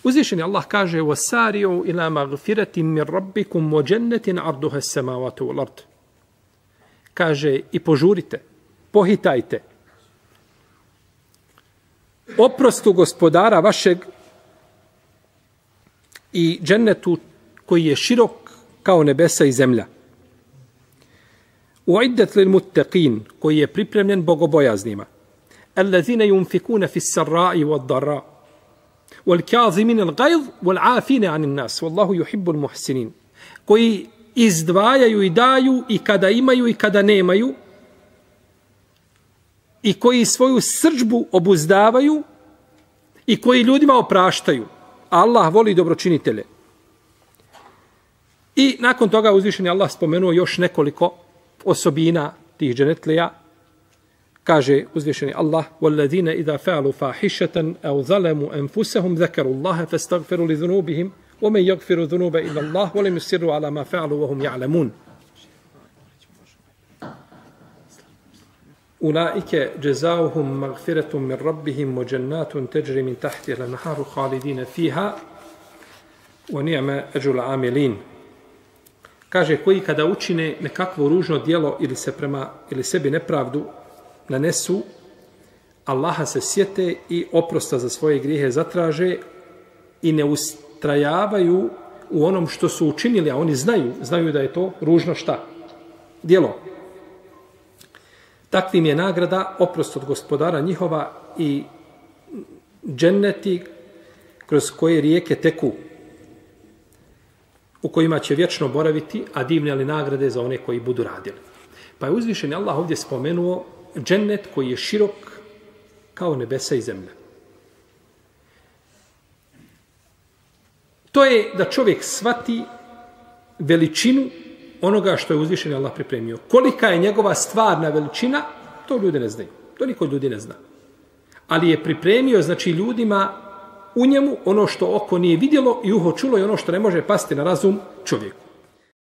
Uzvišeni Allah kaže وَسَارِعُوا إِلَى مَغْفِرَةٍ مِّن رَبِّكُمْ وَجَنَّةٍ عَرْضُهَا السَّمَاوَاتُ وَالْأَرْضُ. Kaže i požurite, pohitajte oprostu gospodara vašeg i džennetu koji je širok kao nebesa i zemlja. Uiddat lil muttaqin, koji je pripremljen bogobojaznima. Allazina yunfikuna fi s-sarra'i wad-dharra wal kazimin al-ghayz wal 'afina 'anil nas wallahu yuhibbul muhsinin. Koji izdvajaju i daju i kada imaju i kada nemaju i koji svoju srdžbu obuzdavaju i koji ljudima opraštaju. Allah voli dobročinitelje. I nakon toga uzvišeni Allah spomenuo još nekoliko osobina tih dženetlija. Kaže uzvišeni Allah: "Wallazina idha fa'alu fahishatan aw zalamu anfusahum dhakaru Allaha fastaghfiru li dhunubihim wa man yaghfiru dhunuba illa Allah wa lam yusirru ala ma fa'alu wa hum ya'lamun." Ulaike jazaohum maghfiratun min rabbihim wa jannatun tajri min tahtiha al-anharu khalidina fiha wa ni'ma ajrul 'amilin. Kaže, koji kada učine nekakvo ružno djelo ili sebi nepravdu nanesu, Allaha se sjete i oprosta za svoje grijehe zatraže i ne ustrajavaju u onom što su učinili, a oni znaju da je to ružno šta? Djelo. Takvim je nagrada oprost od gospodara njihova i dženneti kroz koje rijeke teku, u kojima će vječno boraviti, a divne li nagrade za one koji budu radili. Pa je uzvišeni Allah ovdje spomenuo džennet koji je širok kao nebesa i zemlja. To je da čovjek shvati veličinu onoga što je uzvišeni Allah pripremio. Kolika je njegova stvarna veličina, to ljudi ne znaju. To niko ljudi ne zna. Ali je pripremio, znači, ljudima u njemu ono što oko nije vidjelo i uho čulo i ono što ne može pasti na razum čovjeku.